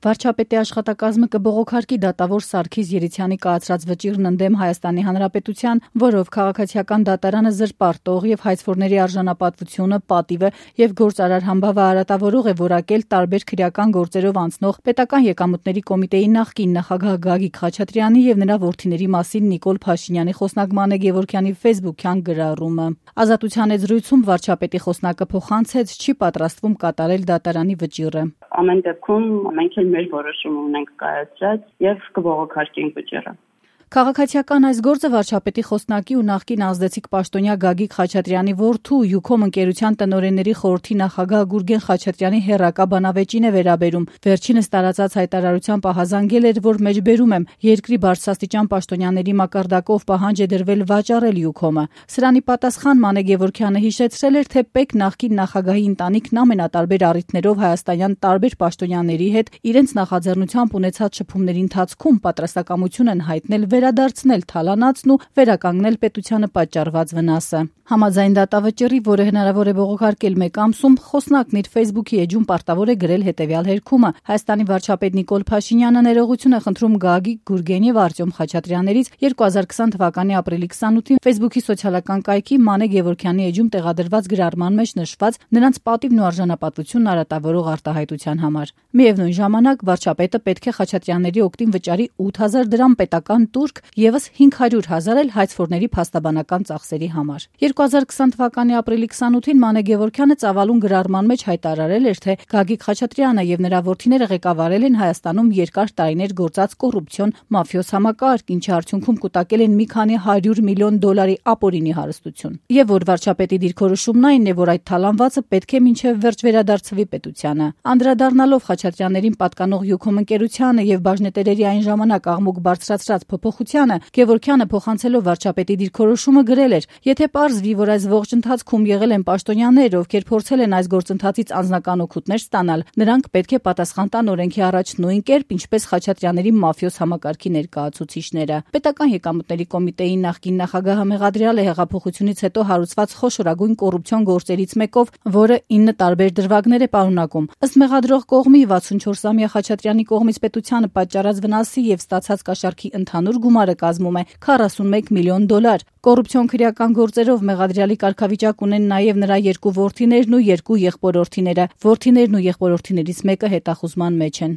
Վարչապետի աշխատակազմը կբողոքարկի դատավոր Սարգիս Երիցյանի կայացրած վճիռն ընդդեմ Հայաստանի Հանրապետության, որով քաղաքացիական դատարանը զրպարտող եւ հայցվորների արժանապատվությունը, պատիվը եւ գործարար համբավը արատավորող է որակել տարբեր քրեական գործերով անցնող Պետական եկամուտների կոմիտեի նախկին նախագահ Գագիկ Խաչատրյանի եւ նրա որդիների մասին Նիկոլ Փաշինյանի խոսնակ Մանե Գևորգյանի ֆեյսբուքյան գրառումը։ Ազատության զրույցում վարչապետի խոսնակը փոխանցեց չի պատրաստվում կատարել դատարանի վճիռը։ Ամեն դեպքում մենք էլ մեր որոշումը ունենք կայացրած եւ կբողոքարկենք վճիռը։ Քաղաքացիական այս գործը վարչապետի խոսնակի ու նախկին ազդեցիկ պաշտոնյա Գագիկ Խաչատրյանի որդու Յուքոմ ընկերության տնօրենների խորհրդի նախագահ Գուրգեն Խաչատրյանի հերրակա բանավեճին է վերաբերում։ Վերջինս տարածած հայտարարությամբ ահազանգել էր, որ մեջբերում եմ երկրի բարձրաստիճան պաշտոնյաների մակարդակով պահանջ է դրվել վաճառել Յուքոմը։ Սրանի պատասխան Մանե Գևորգյանը հիշեցրել էր, թե ՊԵԿ նախկին նախագահի ընտանիքն ամենատարբեր առիթներով հայաստանյան տարբեր պաշտոնյաների հետ իրենց նախաձեռնությամբ ունեցած շփումների ընթացքում պատրաստակամություն են հայտնել վերադարձնել թալանացն ու վերականգնել պետությանը պատճառված վնասը։ Համաձայն դատավճռի, որը հնարավոր է բողոքարկել մեկ ամսում, խոսնակն իր ֆեյսբուքի էջում պարտավոր է գրել հետևյալ հերքումը. Հայաստանի վարչապետ Նիկոլ Փաշինյանը ներողություն է խնդրում Գագիկ, Գուրգեն եւ Արտյոմ Խաչատրյաններից 2020 թվականի ապրիլի 28-ին ֆեյսբուքի սոցիալական կայքի Մանե Գևորգյանի էջում տեղադրված գրառման մեջ նշված նրանց պատիվն ու արժանապատվությունն արատավորող արտահայտության համար։ Միևնույն ժամանակ վարչապետը պետք է Խաչատրյանների օգտին վճարի 8000 դրամ պետական տուրք եւս 500,000 էլ հայցվորների փաստաբանական ծախսերի համար։ 2020 թվականի ապրիլի 28-ին Մանե Գևորգյանը ծավալուն գրառման մեջ հայտարարել էր, թե Գագիկ Խաչատրյանը եւ նրա որդիները ղեկավարել են Հայաստանում երկար տարիներ գործած կոռուպցիոն մաֆիոզ համակարգ, ինչի արդյունքում կուտակել են մի քանի $100 միլիոն ապօրինի հարստություն։ Եվ որ վարչապետի դիրքորոշումն այն է, որ այդ թալանվածը պետք է մինչև վերջ վերադարձվի պետությանը։ Անդրադառնալով Խաչատրյաններին պատկանող Յուքոմ ընկերությանը եւ բաժնետերերի այն ժամանակ աղմուկ բարձրացրած փոփոխությանը, Գևորգյանը փոխանցելով վարչապետի դիրքորոշումը գրել էր. եթե պարզվի, որ այս ողջ ընթացքում եղել են պաշտոնյաներ, ովքեր փորձել են այս գործընթացից անձնական օգուտներ ստանալ, նրանք պետք է պատասխան տան օրենքի առաջ նույն կերպ, ինչպես Խաչատրյանների մաֆիոզ համակարգի ներկայացուցիչները։ Պետական եկամուտների կոմիտեի նախկին նախագահը մեղադրյալ է հեղափոխությունից հետո հարուցված խոշորագույն կոռուպցիոն գործերից մեկով, որը 9 տարբեր դրվագներ է պարունակում։ Ըստ մեղադրող կողմի 64-ամյա Խաչատրյանի կողմից պետությանը պատճառած վնասի եւ ստացած կաշառքի ընդհանուր գումարը կազմում է $41 միլիոն։ Կոռուպցիոն քրեական գործերով մեղադրյալի կարգավիճակ ունեն նաև նրա երկու որդիներն ու երկու եղբորորդիները։ Որդիներն ու եղբորորդիներից մեկը հետախուզման մեջ են։